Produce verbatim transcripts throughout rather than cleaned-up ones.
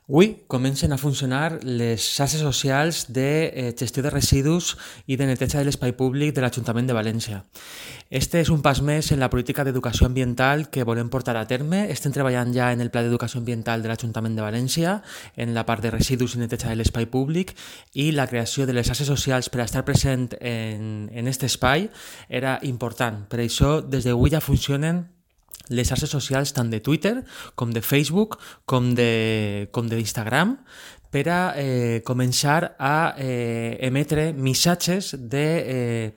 Avui comencen a funcionar les xarxes socials de eh, gestió de residus i de neteja de l'espai públic de l'Ajuntament de València. Este és un pas més en la política d'educació ambiental que volem portar a terme. Estem treballant ja en el Pla d'Educació Ambiental de l'Ajuntament de València, en la part de residus i neteja de l'espai públic, i la creació de les xarxes socials per a estar present en, en aquest espai era important. Per això, des d'avui ja funcionen les xarxes socials tant de Twitter com de Facebook com de, com d'Instagram per a eh, començar a eh, emetre missatges de eh,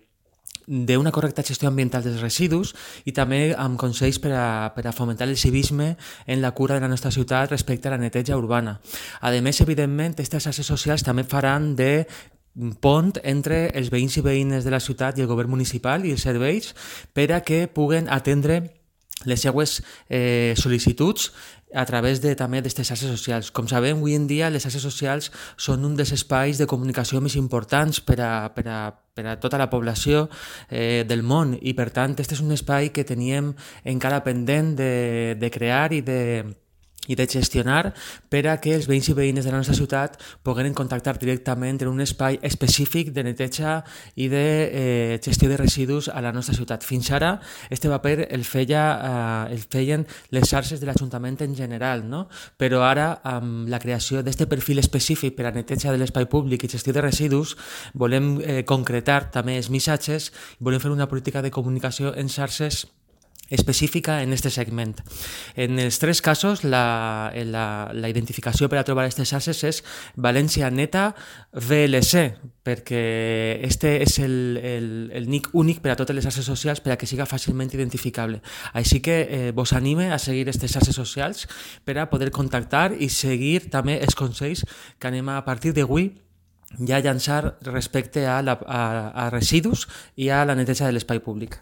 d'una correcta gestió ambiental dels residus i també amb consells per a, per a fomentar el civisme en la cura de la nostra ciutat respecte a la neteja urbana. A més, evidentment, aquestes xarxes socials també faran de pont entre els veïns i veïnes de la ciutat i el govern municipal i els serveis per a que puguen atendre les seues eh, sol·licituds a través de, també d'aquestes xarxes socials. Com sabem, avui en dia les xarxes socials són un dels espais de comunicació més importants per a, per a, per a tota la població eh, del món i, per tant, aquest és un espai que teníem encara pendent de, de crear i de i de gestionar per a que els veïns i veïnes de la nostra ciutat pogueren contactar directament en un espai específic de neteja i de eh, gestió de residus a la nostra ciutat. Fins ara, este paper el, feia, eh, el feien les xarxes de l'Ajuntament en general, no? Però ara, amb la creació d'aquest perfil específic per a neteja de l'espai públic i gestió de residus, volem eh, concretar també els missatges i volem fer una política de comunicació en xarxes específica en aquest segment. En els tres casos, la, la, la identificació per a trobar aquestes xarxes és València Neta V L C, perquè este és el, el, el nick únic per a totes les xarxes socials per a que siga fàcilment identificable. Així que eh, vos anime a seguir aquestes xarxes socials per a poder contactar i seguir també els consells que anem a partir d'avui ja llançar respecte a, la, a, a residus i a la neteja de l'espai públic.